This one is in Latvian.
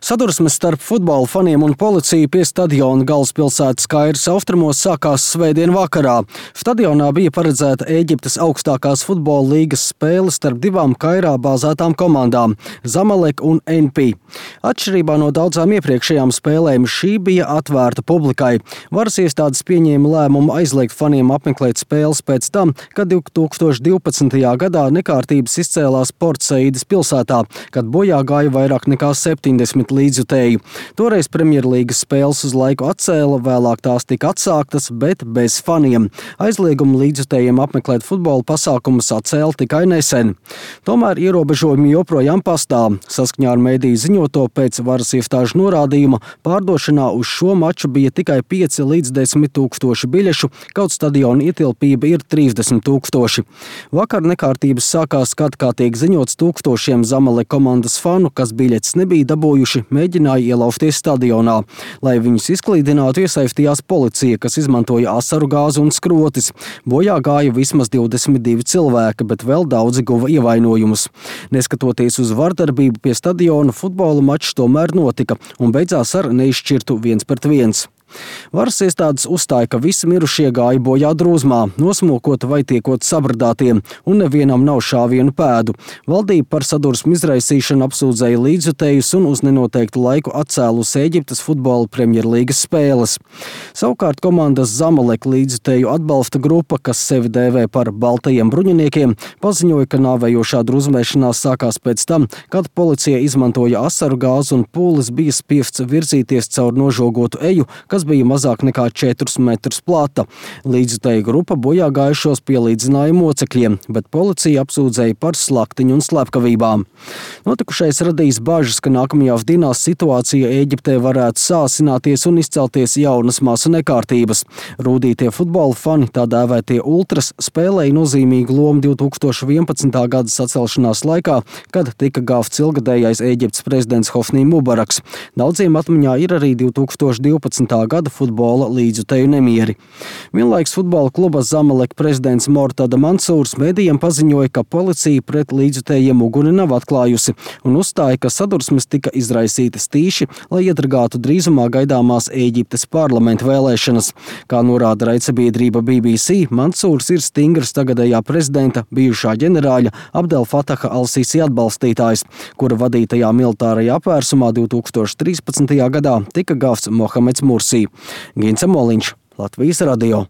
Sadursmes starp futbola faniem un policiju pie stadiona galvaspilsētas Kairas austrumos sākās svētdien vakarā. Stadionā bija paredzēta Ēģiptes augstākās futbola līgas spēle starp divām Kairā bāzētām komandām – Zamalek un NP. Atšķirībā no daudzām iepriekšējām spēlēm, šī bija atvērta publikai. Varas iestādes pieņēma lēmumu aizliegt faniem apmeklēt spēles pēc tam, kad 2012. gadā nekārtības izcēlās Port Saidas pilsētā, kad bojā gāja vairāk nekā 70 līdzjutēju. Toreiz Premjerlīgas spēles uz laiku atcēla, vēlāk tās tika atsāktas, bet bez faniem. Aizliegumu līdzjutējiem apmeklēt futbola pasākumus atcēla tikai nesen. Tomēr ierobežojumi joprojām pastāv. Saskaņā ar mediju ziņoto pēc varas iestāžu norādījuma pārdošanā uz šo maču bija tikai 5 līdz 10 tūkstoši biļešu, kaut stadiona ietilpība ir 30 tūkstoši. Vakar nekārtības sākās, kad, kā tiek ziņots, tūkstošiem Zamalek komandas fanu, kas biļetes nebija dabūjuši, mēģināja ielausties stadionā. Lai viņus izklīdinātu, iesaistījās policija, kas izmantoja asaru gāzi un skrotis. Bojā gāja vismaz 22 cilvēki, bet vēl daudzi guva ievainojumus. Neskatoties uz vardarbību pie stadiona, futbola mačs tomēr notika un beidzās ar neizšķirtu 1-1. Varas iestādes uzstāja, ka visi mirušie gāja bojā drūzmā, nosmokot vai tiekot sabradātiem, un nevienam nav šāvienu pēdu. Valdība par sadursmu izraisīšanu apsūdzēja līdzjutējus un uz nenoteiktu laiku atcēlus Ēģiptes futbola Premjerlīgas spēles. Savukārt komandas Zamalek līdzjutēju atbalsta grupa, kas sevi dēvē par baltajiem bruņiniekiem, paziņoja, ka nāvējošā drūzmēšanās sākās pēc tam, kad policija izmantoja asaru gāzi un pūlis bija spiests virzīties caur nožogotu eju, kas bija mazāk nekā 4 metrus plata. Līdzjutēju grupa bojā gājušos pielīdzināja mocekļiem, bet policija apsūdzēja par slaktiņu un slepkavībām. Notikušais radīs bažas, ka nākamajās dienās situācija Ēģiptē varētu sāsināties un izcelties jaunas masu nekārtības. Rūdītie futbola fani, tā dēvētie ultras, spēlēja nozīmīgu lomu 2011. gada sacelšanās laikā, kad tika gāvts ilgadējais Ēģiptes prezidents Hosnī Mubaraks. Daudziem atmiņā ir arī 2012. gada futbola līdzjutēju nemieri. Vienlaiks futbola kluba Zamalek prezidents Mortada Mansūrs medijiem paziņoja, ka policija pret līdzjutējiem uguni nav atklājusi un uzstāja, ka sadursmes tika izraisītas tīši, lai iedragātu drīzumā gaidāmās Ēģiptes parlamenta vēlēšanas. Kā norāda raidsabiedrība BBC, Mansūrs ir stingrs tagadējā prezidenta, bijušā ģenerāļa Abdel Fataha al-Sisi atbalstītājs, kura vadītajā militārajā apvērsumā 2013. gadā tika gāvts Mohameds Mursī. Gints Moliņš, Latvijas radio.